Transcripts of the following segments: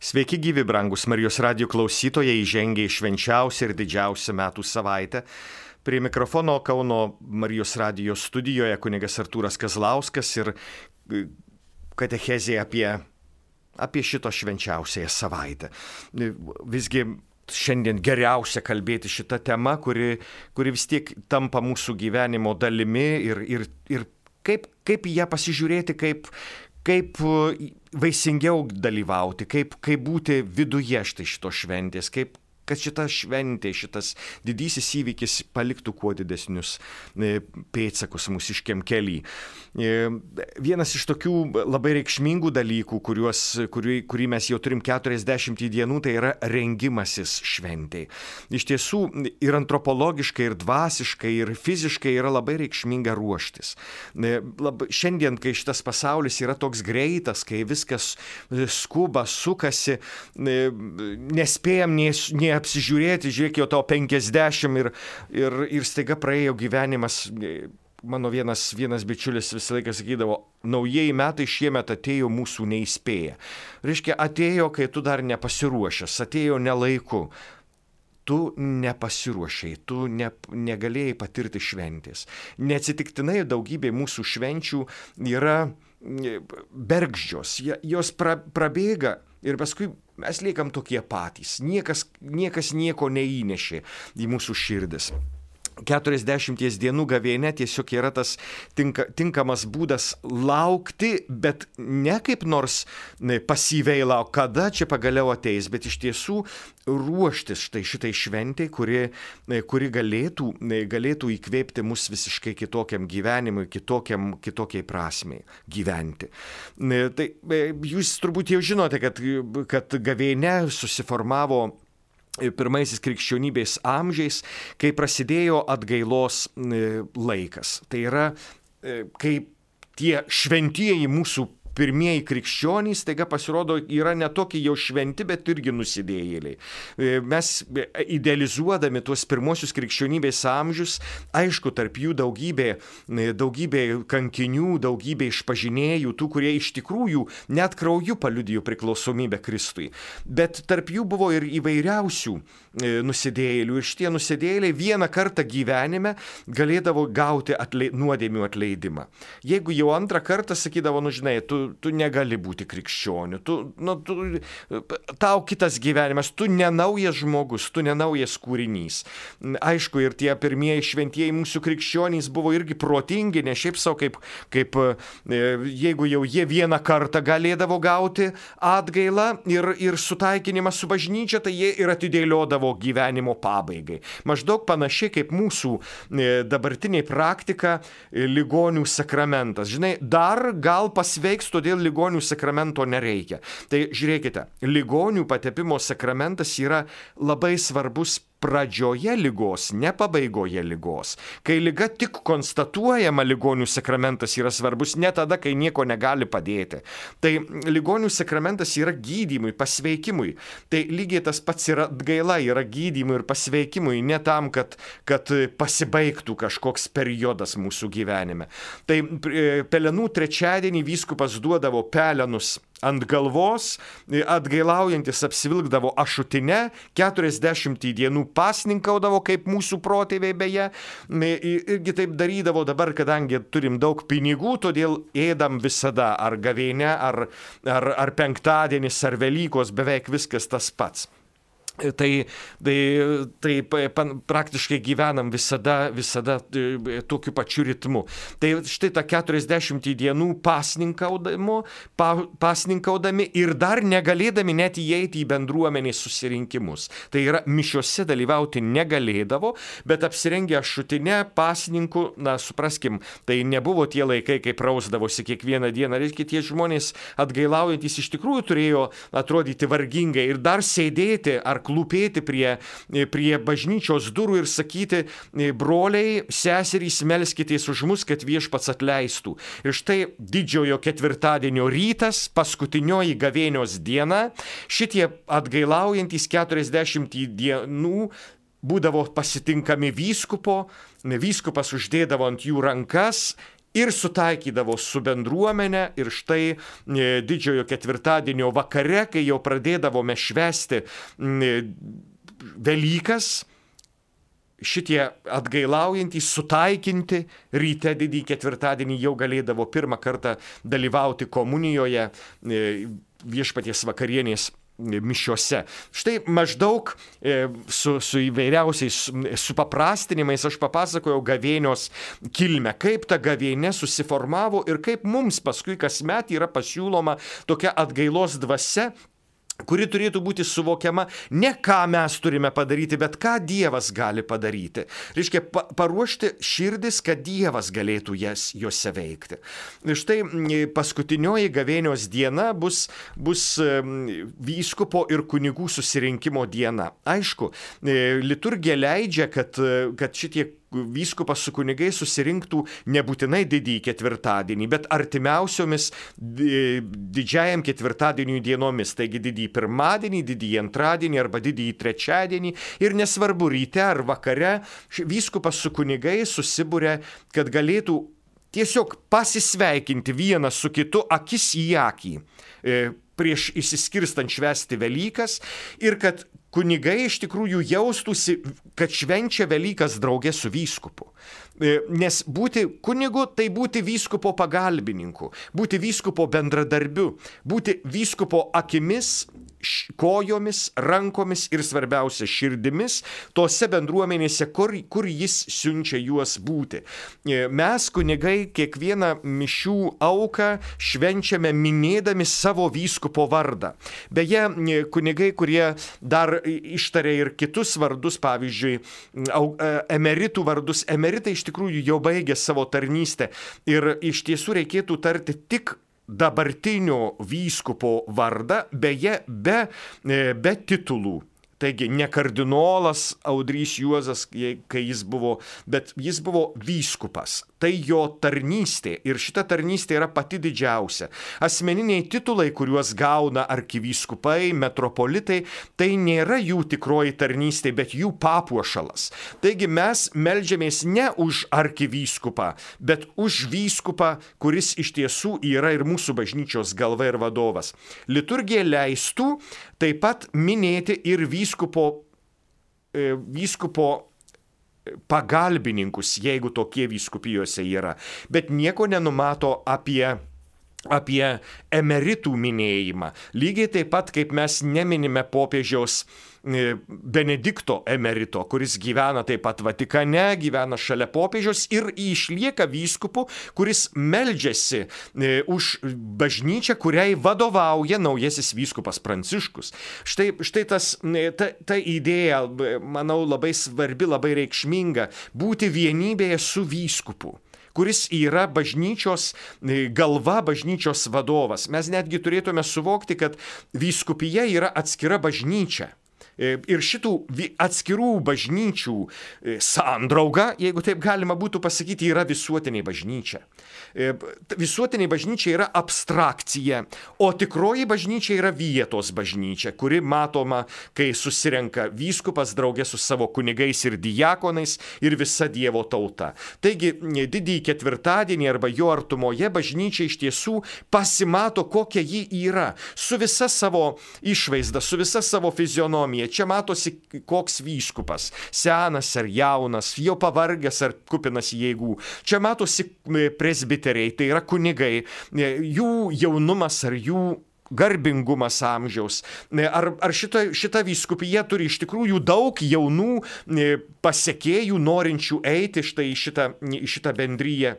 Sveiki gyvi, brangus Marijos radijo klausytojai, įžengė į švenčiausią ir didžiausią metų savaitę. Prie mikrofono Kauno Marijos radijo studijoje kunigas Artūras Kazlauskas ir katechezė apie šito švenčiausiąją savaitę. Visgi šiandien geriausia kalbėti šitą temą, kuri vis tiek tampa mūsų gyvenimo dalimi ir kaip į ją pasižiūrėti, kaip vaisingiau dalyvauti, kaip būti viduje šitos šventės, kad šita šventė, šitas didysis įvykis paliktų kuo didesnius pėdsakus mūsiškiam kely. Vienas iš tokių labai reikšmingų dalykų, kurį mes jau turim 40 dienų, tai yra rengimasis šventei. Iš tiesų ir antropologiškai, ir dvasiškai, ir fiziškai yra labai reikšminga ruoštis. Šiandien, kai šitas pasaulis yra toks greitas, kai viskas skuba, sukasi, nespėjam nei apsižiūrėti, žiūrėk, jau tau 50 ir staiga praėjo gyvenimas. Mano vienas bičiulis visą laiką sakydavo, naujieji metai šiemet atėjo mūsų neįspėję. Reiškia, atėjo, kai tu dar nepasiruošęs, atėjo nelaiku. Tu nepasiruošiai, tu negalėjai patirti šventės. Neatsitiktinai daugybė mūsų švenčių yra bergždžios, jos prabėga ir paskui mes liekam tokie patys. Niekas nieko neįnešė į mūsų širdis. 40 dienų gavėnia tiesiog yra tas tinkamas būdas laukti, bet ne kaip nors pasyviai lauk, kada čia pagaliau ateis, bet iš tiesų ruoštis šitai šventai, kuri galėtų įkvėpti mus visiškai kitokiam gyvenimui, kitokiai prasmei gyventi. Tai jūs turbūt jau žinote, kad gavėnia susiformavo pirmaisiais krikščionybės amžiais, kai prasidėjo atgailos laikas. Tai yra, kai tie šventieji mūsų pirmieji krikščionys, taiga pasirodo, yra ne tokie jau šventi, bet irgi nusidėjėliai. Mes idealizuodami tuos pirmosius krikščionybės amžius, aišku, tarp jų daugybė kankinių, daugybė išpažinėjų, tų, kurie iš tikrųjų net krauju paliudijo priklausomybę Kristui. Bet tarp jų buvo ir įvairiausių nusidėjėlių. Ir šitie nusidėjėliai vieną kartą gyvenime galėdavo gauti nuodėmių atleidimą. Jeigu jau antrą kartą sakydavo, žinai, tu negali būti krikščioniu, tau kitas gyvenimas, tu nenaujas žmogus, tu nenaujas kūrinys. Aišku, ir tie pirmieji šventieji mūsų krikščionys buvo irgi protingi, ne šiaip savo, kaip jeigu jau jie vieną kartą galėdavo gauti atgailą ir sutaikinimą su bažnyčia, tai jie ir atidėliodavo gyvenimo pabaigai. Maždaug panašiai kaip mūsų dabartinė praktika ligonių sakramentas. Žinai, dar gal pasveiks, todėl ligonių sakramento nereikia. Tai žiūrėkite, ligonių patepimo sakramentas yra labai svarbus pradžioje ligos, ne pabaigoje ligos. Kai liga tik konstatuojama, ligonių sakramentas yra svarbus, ne tada, kai nieko negali padėti. Tai ligonių sakramentas yra gydymui, pasveikimui. Tai lygiai tas pats yra atgaila, yra gydymui ir pasveikimui, ne tam, kad pasibaigtų kažkoks periodas mūsų gyvenime. Tai pelenų trečiadienį vyskupas duodavo pelenus ant galvos, atgailaujantis apsivilkdavo ašutinę, 40 dienų pasninkaudavo, kaip mūsų protėviai beje, irgi taip darydavo dabar, kadangi turim daug pinigų, todėl ėdam visada, ar gavėnia, ar penktadienis, ar Velykos, beveik viskas tas pats. Tai praktiškai gyvenam visada tokiu pačiu ritmu. Tai štai ta 40 dienų pasninkaudami ir dar negalėdami net įeiti į bendruomenės susirinkimus. Tai yra, mišiose dalyvauti negalėdavo, bet apsirengę ašutinę pasninku, supraskim, tai nebuvo tie laikai, kai prausdavosi kiekvieną dieną. Reiškia, tie žmonės atgailaujantis iš tikrųjų turėjo atrodyti vargingai ir dar sėdėti ar klūpėti prie bažnyčios durų ir sakyti, broliai, seserys, melskitės už mus, kad viešpats atleistų. Ir štai didžiojo ketvirtadienio rytas, paskutinioji gavėnios diena, šitie atgailaujantis 40 dienų būdavo pasitinkami vyskupas uždėdavo ant jų rankas ir sutaikydavo su bendruomenė. Ir štai didžiojo ketvirtadienio vakare, kai jau pradėdavome švęsti Velykas, šitie atgailaujantys, sutaikinti ryte didįjį ketvirtadienį jau galėdavo pirmą kartą dalyvauti komunijoje, viešpaties vakarienės mišiose. Štai maždaug su įvairiausiais supaprastinimais aš papasakojau gavėnios kilmę, kaip ta gavėnė susiformavo ir kaip mums paskui kasmet yra pasiūloma tokia atgailos dvasia, kuri turėtų būti suvokiama ne ką mes turime padaryti, bet ką Dievas gali padaryti. Reiškia, paruošti širdis, kad Dievas galėtų juose veikti. Štai paskutinioji gavėnios diena bus vyskupo ir kunigų susirinkimo diena. Aišku, liturgija leidžia, kad šitie vyskupas su kunigais susirinktų nebūtinai didįjį ketvirtadienį, bet artimiausiomis didžiajam ketvirtadieniui dienomis, taigi didįjį pirmadienį, didįjį antradienį arba didįjį trečiadienį, ir nesvarbu ryte ar vakare, vyskupas su kunigais susibūrė, kad galėtų tiesiog pasisveikinti vienas su kitu akis į akį prieš išsiskirstant švęsti Velykas, ir kad kunigai iš tikrųjų jaustųsi, kad švenčia Velykas drauge su vyskupu. Nes būti kunigu tai būti vyskupo pagalbininku, būti vyskupo bendradarbiu, būti vyskupo akimis, kojomis, rankomis ir svarbiausia širdimis tose bendruomenėse, kur jis siunčia juos būti. Mes kunigai kiekvieną mišių auką švenčiame minėdami savo vyskupo vardą. Beje, kunigai, kurie dar ištarė ir kitus vardus, pavyzdžiui, emeritų vardus, emeritai iš tikrųjų jau baigė savo tarnystę ir iš tiesų reikėtų tarti tik dabartinio vyskupo vardą, beje, be titulų. Taigi ne kardinolas Audrys Juozas, kai jis buvo, bet jis buvo vyskupas. Tai jo tarnystė ir šita tarnystė yra pati didžiausia. Asmeniniai titulai, kuriuos gauna arkivyskupai, metropolitai, tai nėra jų tikroji tarnystė, bet jų papuošalas. Taigi mes meldžiamės ne už arkivyskupą, bet už vyskupą, kuris iš tiesų yra ir mūsų bažnyčios galva ir vadovas. Liturgija leistų taip pat minėti ir vyskupo pagalbininkus, jeigu tokie vyskupijose yra, bet nieko nenumato apie emeritų minėjimą. Lygiai taip pat, kaip mes neminime popiežiaus Benedikto emerito, kuris gyvena taip pat Vatikane, gyvena šalia popiežiaus ir išlieka vyskupu, kuris meldžiasi už bažnyčią, kuriai vadovauja naujasis vyskupas Pranciškus. Štai ta idėja, manau, labai svarbi, labai reikšminga, būti vienybėje su vyskupu, kuris yra bažnyčios galva, bažnyčios vadovas. Mes netgi turėtume suvokti, kad vyskupija yra atskira bažnyčia. Ir šitų atskirų bažnyčių sandrauga, jeigu taip galima būtų pasakyti, yra visuotinė bažnyčia. Visuotinė bažnyčia yra abstrakcija, o tikroji bažnyčia yra vietos bažnyčia, kuri matoma, kai susirenka vyskupas draugė su savo kunigais ir diakonais ir visa Dievo tauta. Taigi, didįjį ketvirtadienį arba jo artumoje bažnyčia iš tiesų pasimato, kokia ji yra, su visa savo išvaizda, su visa savo fizionomija. Čia matosi, koks vyskupas, senas ar jaunas, jau pavargęs ar kupinas jėgų. Čia matosi presbiteriai, tai yra kunigai, jų jaunumas ar jų garbingumas amžiaus. Ar šita vyskupija turi iš tikrųjų daug jaunų pasekėjų, norinčių eiti štai į šitą bendryją,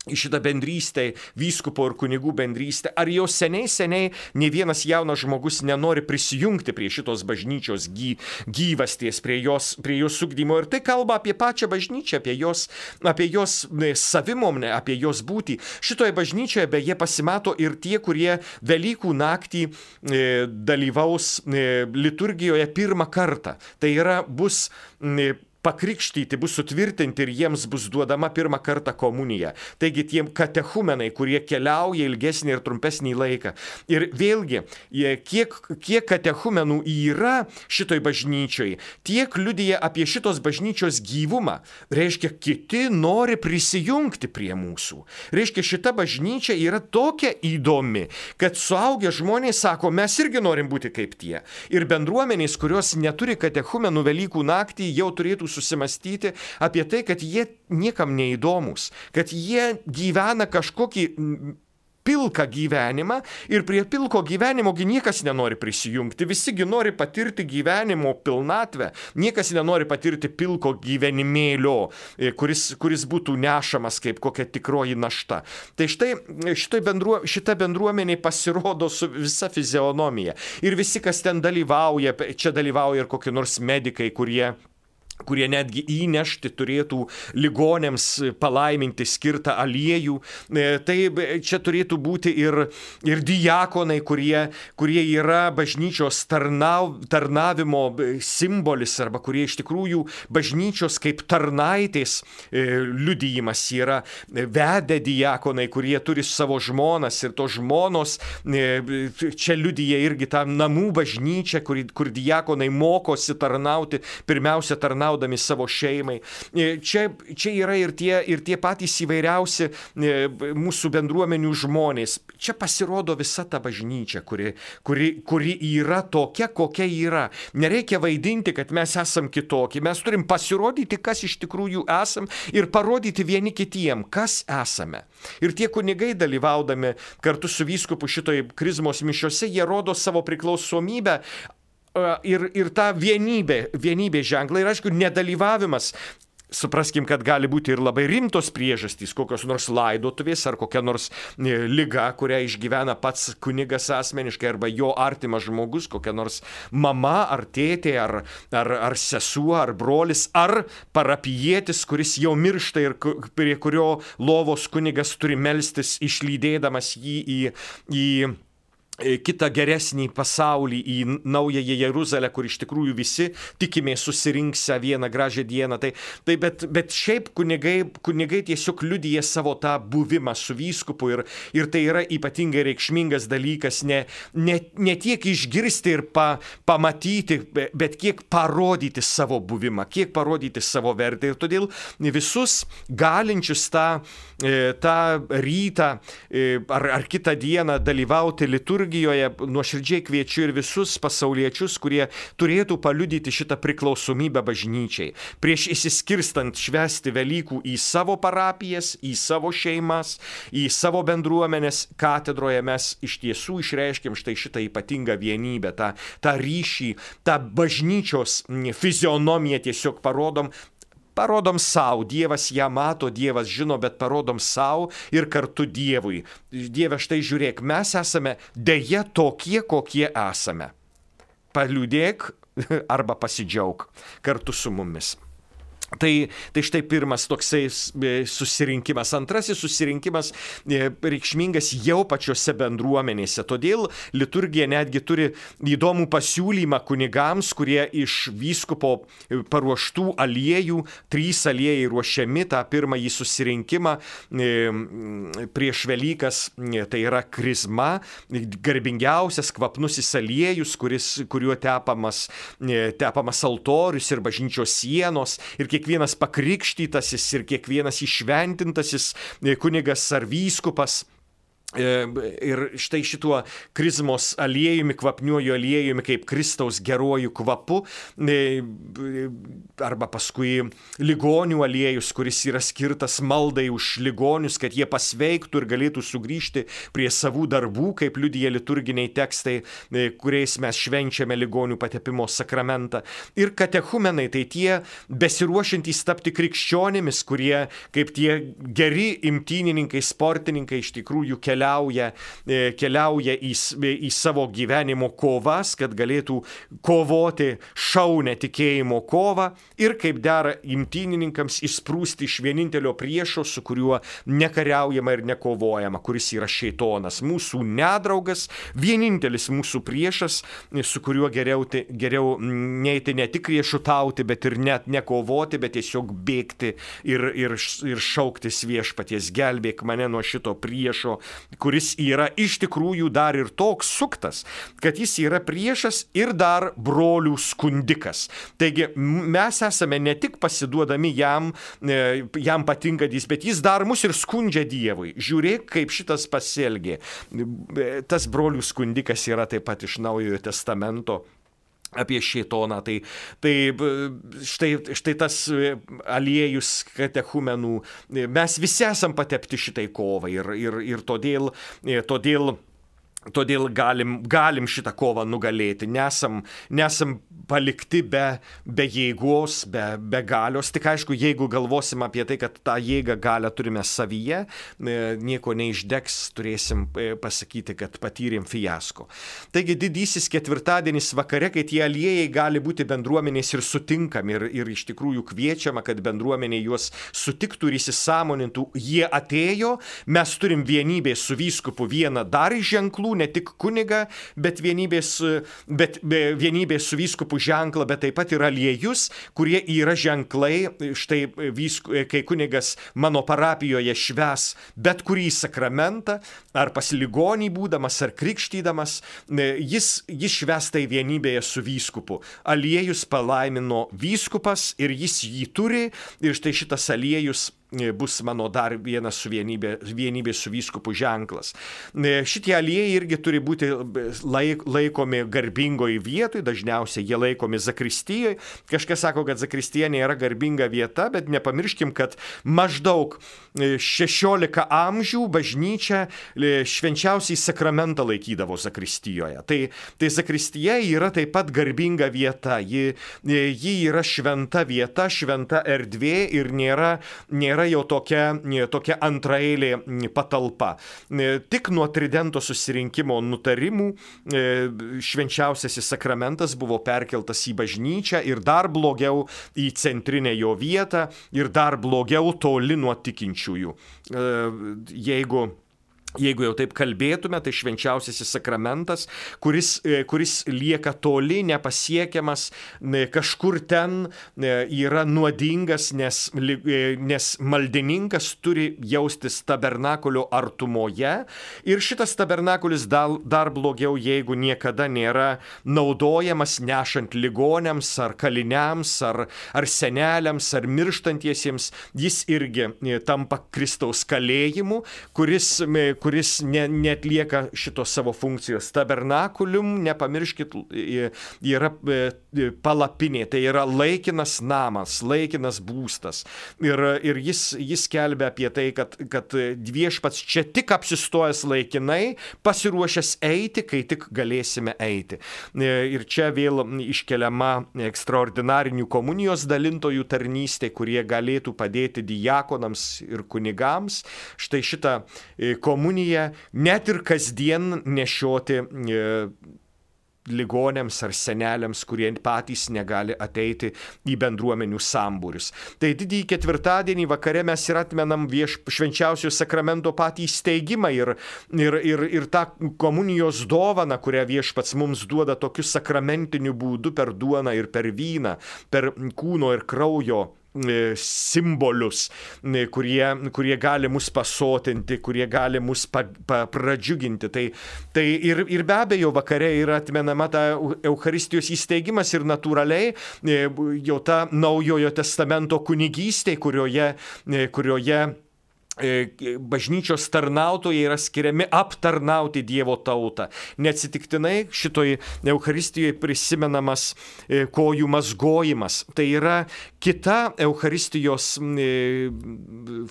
į šitą bendrystę, vyskupo ir kunigų bendrystę, ar jau seniai ne vienas jaunas žmogus nenori prisijungti prie šitos bažnyčios gyvasties, prie jos ugdymo. Ir tai kalba apie pačią bažnyčią, apie jos savimonę, apie jos būtį. Šitoje bažnyčioje beje pasimato ir tie, kurie Velykų naktį dalyvaus liturgijoje pirmą kartą. Tai yra bus pakrikštyti, bus sutvirtinti ir jiems bus duodama pirmą kartą komunija. Taigi tiem katechumenai, kurie keliauja ilgesnį ir trumpesnį laiką. Ir vėlgi, kiek katechumenų yra šitoj bažnyčioj, tiek liudija apie šitos bažnyčios gyvumą. Reiškia, kiti nori prisijungti prie mūsų. Reiškia, šita bažnyčia yra tokia įdomi, kad suaugę žmonės sako, mes irgi norim būti kaip tie. Ir bendruomenės, kurios neturi katechumenų Velykų naktį, jau turėtų susimastyti apie tai, kad jie niekam neįdomus, kad jie gyvena kažkokį pilką gyvenimą ir prie pilko gyvenimogi niekas nenori prisijungti, visigi nori patirti gyvenimo pilnatvę, niekas nenori patirti pilko gyvenimėlio, kuris būtų nešamas kaip kokia tikroji našta. Tai štai šita bendruomenė pasirodo su visa fizionomija ir visi, kas ten dalyvauja, čia dalyvauja ir kokie nors medikai, kurie netgi įnešti turėtų ligonėms palaiminti skirtą aliejų. Tai čia turėtų būti ir diakonai, kurie yra bažnyčios tarnavimo simbolis, arba kurie iš tikrųjų bažnyčios kaip tarnaitės liudijimas yra. Vedę diakonai, kurie turi savo žmonas ir tos žmonos čia liudija irgi tą namų bažnyčią, kur diakonai mokosi tarnauti, pirmiausia tarnaudami savo šeimai. Čia yra ir tie patys įvairiausi mūsų bendruomenių žmonės. Čia pasirodo visa ta bažnyčia, kuri yra tokia, kokia yra. Nereikia vaidinti, kad mes esam kitokie. Mes turim pasirodyti, kas iš tikrųjų esam ir parodyti vieni kitiem, kas esame. Ir tie kunigai dalyvaudami kartu su vyskupu šitoj krizmos mišiose, jie rodo savo priklausomybę ir tą vienybė ženklą. Ir aišku, nedalyvavimas, supraskim, kad gali būti ir labai rimtos priežastys, kokios nors laidotuvės ar kokia nors liga, kurią išgyvena pats kunigas asmeniškai arba jo artimas žmogus, kokia nors mama ar tėtė ar sesuo ar brolis ar parapijietis, kuris jau miršta ir prie kurio lovos kunigas turi melstis, išlydėdamas jį į kitą geresnį pasaulį, į naująją Jeruzalę, kur iš tikrųjų visi tikimės susirinksę vieną gražią dieną. Bet šiaip kunigai tiesiog liudija savo tą buvimą su vyskupu ir tai yra ypatingai reikšmingas dalykas, ne tiek išgirsti ir pamatyti, bet kiek parodyti savo buvimą, kiek parodyti savo vertę. Ir todėl visus galinčius tą rytą ar kitą dieną dalyvauti liturgijoje, nuoširdžiai kviečiu ir visus pasauliečius, kurie turėtų paliudyti šitą priklausomybę bažnyčiai. Prieš įsiskirstant švęsti Velykų į savo parapijas, į savo šeimas, į savo bendruomenės, katedroje mes iš tiesų išreiškiam štai šitą ypatingą vienybę, tą ryšį, tą bažnyčios fizionomiją tiesiog parodom savo, Dievas ją mato, Dievas žino, bet parodom savo ir kartu Dievui. Dieve, štai žiūrėk, mes esame deja tokie, kokie esame. Paliūdėk arba pasidžiauk kartu su mumis. Tai štai pirmas toksai susirinkimas. Antrasis susirinkimas reikšmingas jau pačiose bendruomenėse. Todėl liturgija netgi turi įdomų pasiūlymą kunigams, kurie iš vyskupo paruoštų aliejų, 3 aliejai ruošiami tą pirmąjį susirinkimą prieš Velykas, tai yra krizma, garbingiausias kvapnusis aliejus, kuriuo tepamas altorius ir bažnyčios sienos. Ir kiekvienas pakrikštytasis ir kiekvienas įšventintasis kunigas ar vyskupas. Ir štai šituo krizmos aliejumi, kvapniuoju aliejumi, kaip Kristaus geruoju kvapu, arba paskui ligonių aliejus, kuris yra skirtas maldai už ligonius, kad jie pasveiktų ir galėtų sugrįžti prie savų darbų, kaip liudija liturginiai tekstai, kuriais mes švenčiame ligonių patepimo sakramentą. Ir katechumenai, tai tie besiruošiantys tapti krikščionimis, kurie kaip tie geri imtynininkai, sportininkai iš tikrųjų keliauja keliauja į savo gyvenimo kovas, kad galėtų kovoti šaunę tikėjimo kovą ir kaip dera imtynininkams išsprūsti iš vienintelio priešo, su kuriuo nekariaujama ir nekovojama, kuris yra šėtonas, mūsų nedraugas, vienintelis mūsų priešas, su kuriuo geriau neiti ne tik riešutauti, bet ir net nekovoti, bet tiesiog bėgti ir šauktis viešpaties, gelbėk mane nuo šito priešo, kuris yra iš tikrųjų dar ir toks suktas, kad jis yra priešas ir dar brolių skundikas. Taigi mes esame ne tik pasiduodami jam patinkantys, bet jis dar mus ir skundžia Dievui. Žiūrėk, kaip šitas pasielgė. Tas brolių skundikas yra taip pat iš Naujojo Testamento apie šėtoną. Tai štai tas aliejus katechumenų, mes visi esam patepti šitai kovai ir todėl galim šitą kovą nugalėti. Nesam palikti be jėgos, be galios. Tik aišku, jeigu galvosim apie tai, kad tą jėgą galią turime savyje, nieko neišdegs, turėsim pasakyti, kad patyrėm fiasko. Taigi didysis ketvirtadienis vakare, kai tie aliejai gali būti bendruomenės ir sutinkami ir iš tikrųjų kviečiama, kad bendruomenė juos sutiktų ir įsisąmonintų. Jie atėjo, mes turim vienybės su vyskupu vieną dar iš ženklų, ne tik kunigą, bet vienybės su vyskupu ženklą, bet taip pat ir aliejus, kurie yra ženklai. Štai kai kunigas mano parapijoje švęs bet kurį sakramentą, ar pas ligonį būdamas, ar krikštydamas, jis švęs tai vienybėje su vyskupu. Aliejus palaimino vyskupas ir jis jį turi, ir štai šitas aliejus bus mano dar vienas su vienybė su vyskupu ženklas. Šitie aliejai irgi turi būti laikomi garbingoj vietoj, dažniausiai jie laikomi zakristijoje. Kažkas sako, kad zakristija nėra garbinga vieta, bet nepamirškim, kad maždaug 16 amžių bažnyčia švenčiausiai sakramentą laikydavo zakristijoje. Tai zakristija yra taip pat garbinga vieta, ji yra šventa vieta, šventa erdvė ir nėra jau tokia antraeilė patalpa. Tik nuo Tridento susirinkimo nutarimų švenčiausiasis sakramentas buvo perkeltas į bažnyčią ir dar blogiau į centrinę jo vietą ir dar blogiau toli nuo tikinčiųjų. Jeigu jau taip kalbėtume, tai švenčiausiasis sakramentas, kuris lieka toli, nepasiekiamas, kažkur ten yra nuodingas, nes maldininkas turi jaustis tabernakulio artumoje. Ir šitas tabernakulis dar blogiau, jeigu niekada nėra naudojamas nešant ligoniams, ar kaliniams, ar seneliams, ar mirštantiesiems. Jis irgi tampa Kristaus kalėjimu, kuris neatlieka šitos savo funkcijos. Tabernakulium, nepamirškit, yra palapinė, tai yra laikinas namas, laikinas būstas. Ir jis kelbia apie tai, kad viešpats čia tik apsistojęs laikinai, pasiruošęs eiti, kai tik galėsime eiti. Ir čia vėl iškeliama ekstraordinarinių komunijos dalintojų tarnystė, kurie galėtų padėti diakonams ir kunigams. Štai šitą komuniją net ir kasdien nešioti ligonėms ar seneliams, kurie patys negali ateiti į bendruomenių sambūrius. Tai didįjį ketvirtadienį vakare mes ir atmenam švenčiausio sakramento patį įsteigimą ir tą komunijos dovaną, kurią viešpats mums duoda tokiu sakramentiniu būdu per duoną ir per vyną, per kūno ir kraujo simbolius, kurie gali mus pasotinti, kurie gali mus pradžiuginti. Tai ir be abejo vakare yra atmenama ta Eucharistijos įsteigimas ir natūraliai jau ta Naujojo Testamento kunigystė, kurioje bažnyčios tarnautojai yra skiriami aptarnauti Dievo tautą. Neatsitiktinai šitoj Eucharistijoje prisimenamas kojų mazgojimas. Tai yra kita Eucharistijos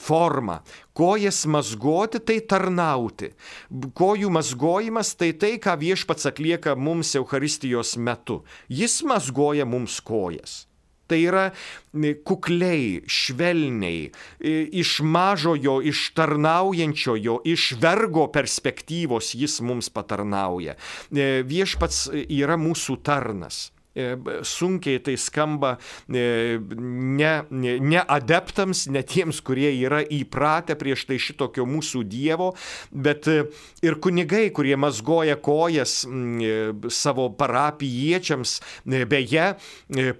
forma. Kojas mazgoti tai tarnauti. Kojų mazgojimas tai ką viešpats atlieka mums Eucharistijos metu. Jis mazgoja mums kojas. Tai yra kukliai, švelniai, iš mažojo, iš tarnaujančiojo, iš vergo perspektyvos jis mums patarnauja. Viešpats yra mūsų tarnas. Sunkiai tai skamba ne adeptams, ne tiems, kurie yra įpratę prieš tai šitokio mūsų Dievo, bet ir kunigai, kurie mazgoja kojas savo parapijiečiams. Beje,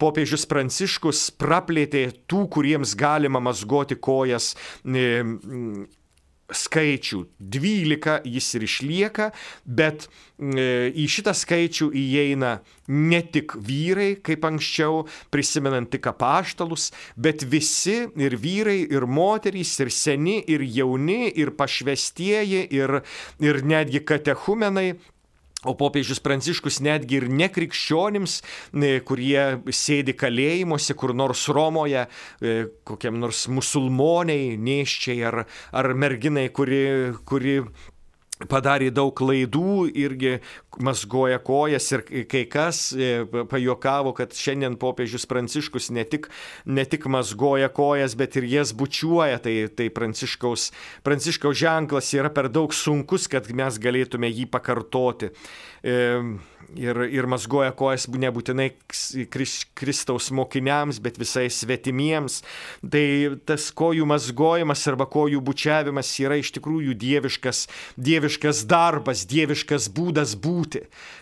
popiežius Pranciškus praplėtė tų, kuriems galima mazgoti kojas, skaičių. 12 jis ir išlieka, bet į šitą skaičių įeina ne tik vyrai, kaip anksčiau, prisimenant tik apaštalus, bet visi, ir vyrai, ir moterys, ir seni, ir jauni, ir pašvestieji, ir netgi katechumenai. O popiežius Pranciškus netgi ir nekrikščionims, kurie sėdi kalėjimuose, kur nors Romoje, kokiam nors musulmoniai, nėščiai ar merginai, kuri padarė daug klaidų, irgi mazgoja kojas, ir kai kas pajuokavo, kad šiandien popiežius Pranciškus ne tik mazgoja kojas, bet ir jas bučiuoja. Tai Pranciškaus ženklas yra per daug sunkus, kad mes galėtume jį pakartoti. Ir mazgoja kojas nebūtinai Kristaus mokiniams, bet visai svetimiems. Tai tas kojų mazgojimas arba kojų bučiavimas yra iš tikrųjų dieviškas darbas, dieviškas būdas būti.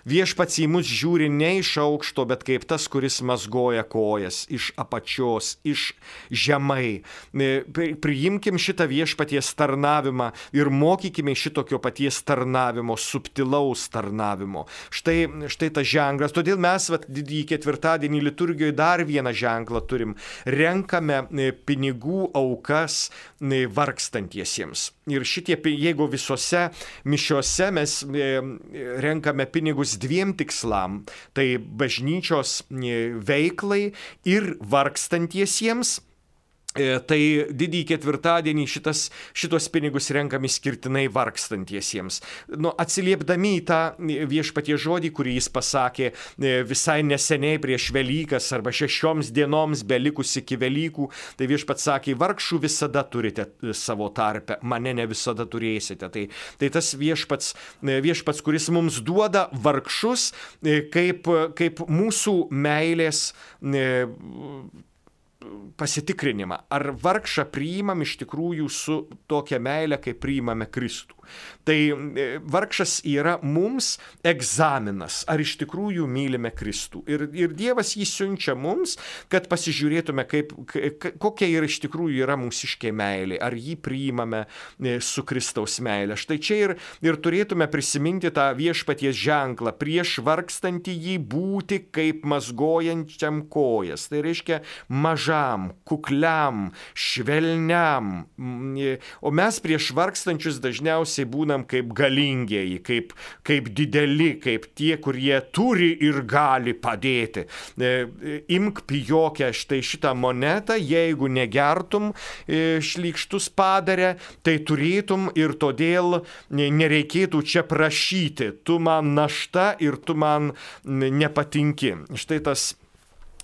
Viešpats į mus žiūri ne iš aukšto, bet kaip tas, kuris mazgoja kojas iš apačios, iš žemai. Priimkim šitą viešpaties tarnavimą ir mokykime šitokio paties tarnavimo, subtilaus tarnavimo. Štai tas ženklas. Todėl mes didįjį ketvirtadienį liturgijoje dar vieną ženklą turim. Renkame pinigų aukas vargstantiesiems. Ir jeigu visose mišiose mes renkame pinigus 2 tikslam, tai bažnyčios veiklai ir vargstantiesiems, tai didįjį ketvirtadienį šitos pinigus renkami skirtinai vargstantiesiems. Atsiliepdami į tą viešpaties žodį, kurį jis pasakė visai neseniai prieš Velykas arba 6 dienoms belikus iki Velykų, tai viešpats sakė, vargšų visada turite savo tarpe, mane ne visada turėsite. Tai tas viešpats, kuris mums duoda vargšus kaip mūsų meilės pasitikrinimą. Ar vargšą priimam iš tikrųjų su tokia meile, kaip priimame Kristų. Tai vargšas yra mums egzaminas, ar iš tikrųjų mylime Kristų. Ir Dievas jį siunčia mums, kad pasižiūrėtume, kokia iš tikrųjų yra mūsiškė meilė, ar jį priimame su Kristaus meilė. Štai čia ir turėtume prisiminti tą viešpaties ženklą, prieš vargstantį jį būti kaip mazgojančiam kojas. Tai reiškia mažam, kukliam, švelniam. O mes prieš vargstančius dažniausiai būnam kaip galingieji, kaip dideli, kaip tie, kurie turi ir gali padėti. Imk pijokę štai šitą monetą, jeigu negertum šlykštus padarę, tai turėtum ir todėl nereikėtų čia prašyti. Tu man našta ir tu man nepatinki.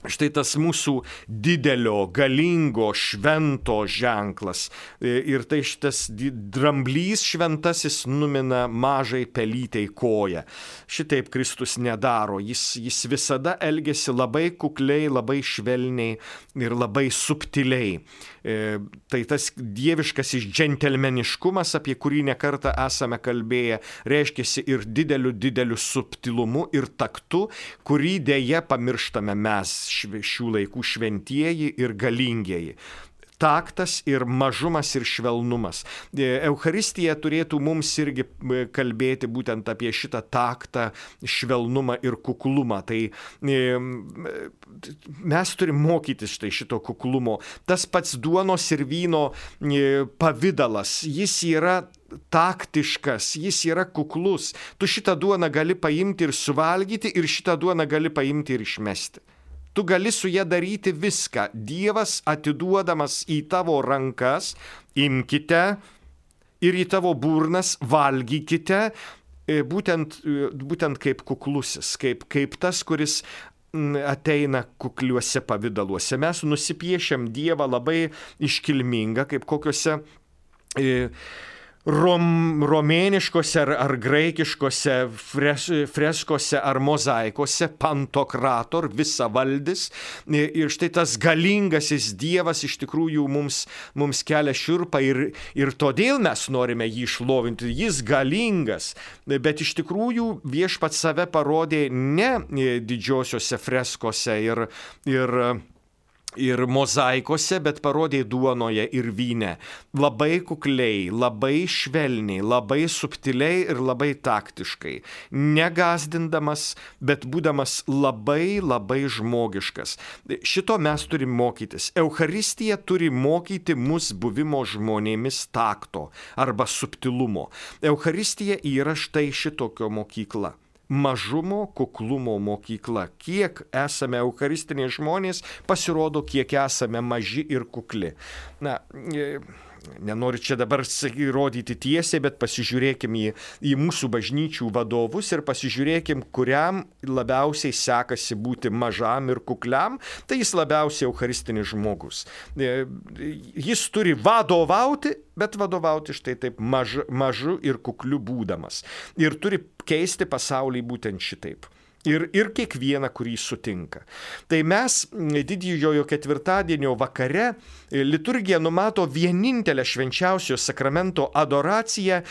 Štai tas mūsų didelio, galingo, švento ženklas. Ir tai šitas dramblys šventasis numina mažai pelytei koją. Šitaip Kristus nedaro. Jis visada elgiasi labai kukliai, labai švelniai ir labai subtiliai. Tai tas dieviškasis džentelmeniškumas, apie kurį nekartą esame kalbėję, reiškiasi ir dideliu subtilumu ir taktu, kurį dėja pamirštame mes, šių laikų šventieji ir galingieji. Taktas ir mažumas ir švelnumas. Eucharistija turėtų mums irgi kalbėti būtent apie šitą taktą, švelnumą ir kuklumą. Tai mes turim mokytis šito kuklumo. Tas pats duonos ir vyno pavidalas, jis yra taktiškas, jis yra kuklus. Tu šitą duoną gali paimti ir suvalgyti, ir šitą duoną gali paimti ir išmesti. Tu gali su ja daryti viską. Dievas atiduodamas į tavo rankas, imkite ir į tavo burnas valgykite, būtent kaip kuklusis, kaip tas, kuris ateina kukliuose pavidaluose. Mes nusipiešiam Dievą labai iškilmingą, kaip kokiuose romėniškose ar graikiškose freskose ar mozaikose, pantokrator, visavaldis. Ir štai tas galingasis Dievas iš tikrųjų mums kelia šiurpą ir todėl mes norime jį šlovinti. Jis galingas, bet iš tikrųjų viešpats save parodė ne didžiosiose freskose ir mozaikose, bet parodė duonoje ir vyne. Labai kukliai, labai švelniai, labai subtiliai ir labai taktiškai. Negazdindamas, bet būdamas labai, labai žmogiškas. Šito mes turim mokytis. Eucharistija turi mokyti mus buvimo žmonėmis takto arba subtilumo. Eucharistija yra štai šitokio mokykla. Mažumo, kuklumo mokykla. Kiek esame eucharistiniai žmonės, pasirodo, kiek esame maži ir kukli. Na, nenoriu čia dabar rodyti tiesiai, bet pasižiūrėkim į mūsų bažnyčių vadovus ir pasižiūrėkim, kuriam labiausiai sekasi būti mažam ir kukliam, tai jis labiausiai eucharistinis žmogus. Jis turi vadovauti, bet vadovauti štai taip mažu ir kukliu būdamas. Ir turi keisti pasaulį būtent šitaip. Ir kiekvieną, kurį sutinka. Tai mes didžiojo ketvirtadienio vakare liturgija numato vienintelę švenčiausio sakramento adoraciją,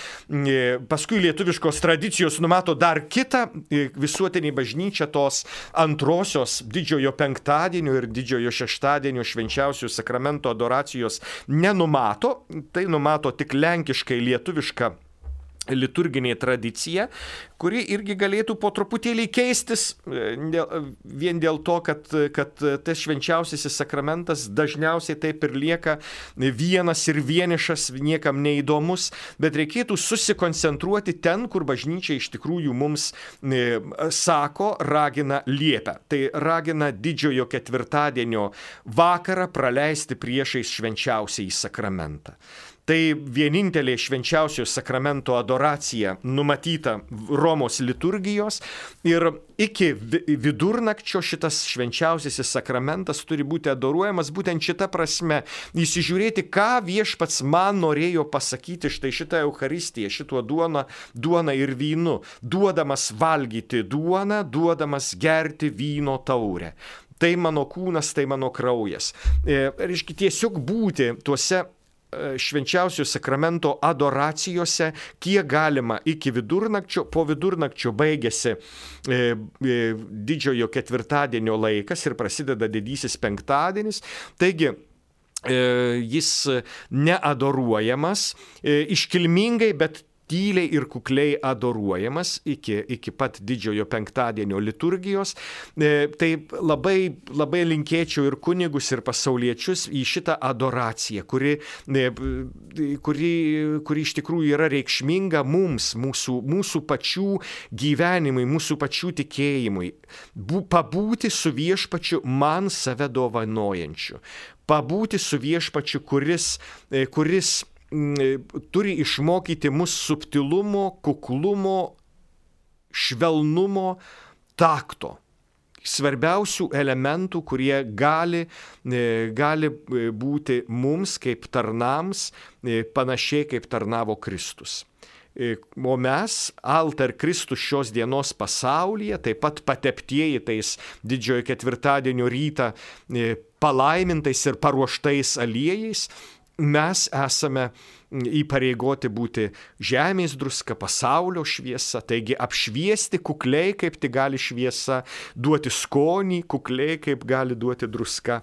paskui lietuviškos tradicijos numato dar kitą, visuotinė bažnyčia tos antrosios didžiojo penktadienio ir didžiojo šeštadienio švenčiausio sakramento adoracijos nenumato, tai numato tik lenkiškai lietuviška liturginė tradicija, kuri irgi galėtų po truputėlį keistis vien dėl to, kad tas švenčiausiasis sakramentas dažniausiai taip ir lieka vienas ir vienišas, niekam neįdomus, bet reikėtų susikoncentruoti ten, kur bažnyčia iš tikrųjų mums sako, ragina, liepia. Tai ragina didžiojo ketvirtadienio vakarą praleisti priešais švenčiausiąjį sakramentą. Tai vienintelė švenčiausio sakramento adoracija numatyta Romos liturgijos ir iki vidurnakčio šitas švenčiausiasis sakramentas turi būti adoruojamas būtent šita prasme. Įsižiūrėti, ką viešpats man norėjo pasakyti štai šitą Eucharistiją, šituo duona ir vynu, duodamas valgyti duoną, duodamas gerti vyno taurę. Tai mano kūnas, tai mano kraujas. Reiškia, tiesiog būti tuose švenčiausio sakramento adoracijose, kiek galima iki vidurnakčio, po vidurnakčio baigėsi didžiojo ketvirtadienio laikas ir prasideda didysis penktadienis, taigi jis neadoruojamas, iškilmingai, bet tyliai ir kukliai adoruojamas iki pat didžiojo penktadienio liturgijos. Tai labai linkėčiau ir kunigus, ir pasauliečius į šitą adoraciją, kuri iš tikrųjų yra reikšminga mums, mūsų pačių gyvenimui, mūsų pačių tikėjimui. Pabūti su viešpačiu man save dovanojančiu. Pabūti su viešpačiu, kuris turi išmokyti mus subtilumo, kuklumo, švelnumo, takto. Svarbiausių elementų, kurie gali būti mums kaip tarnams, panašiai kaip tarnavo Kristus. O mes, altar Kristus šios dienos pasaulyje, taip pat pateptieji tais didžiojo ketvirtadienio rytą palaimintais ir paruoštais aliejais, mes esame įpareigoti būti žemės druska, pasaulio šviesa, taigi apšviesti kukliai, kaip tik gali šviesa, duoti skonį kukliai, kaip gali duoti druska.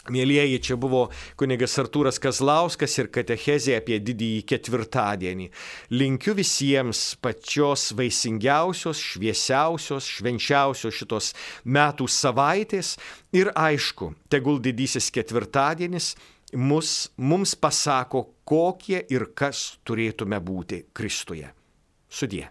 Mielieji, čia buvo kunigas Artūras Kazlauskas ir katechezė apie didįjį ketvirtadienį. Linkiu visiems pačios vaisingiausios, šviesiausios, švenčiausios šitos metų savaitės ir aišku, tegul didysis ketvirtadienis mums pasako, kokie ir kas turėtume būti Kristuje. Sudie.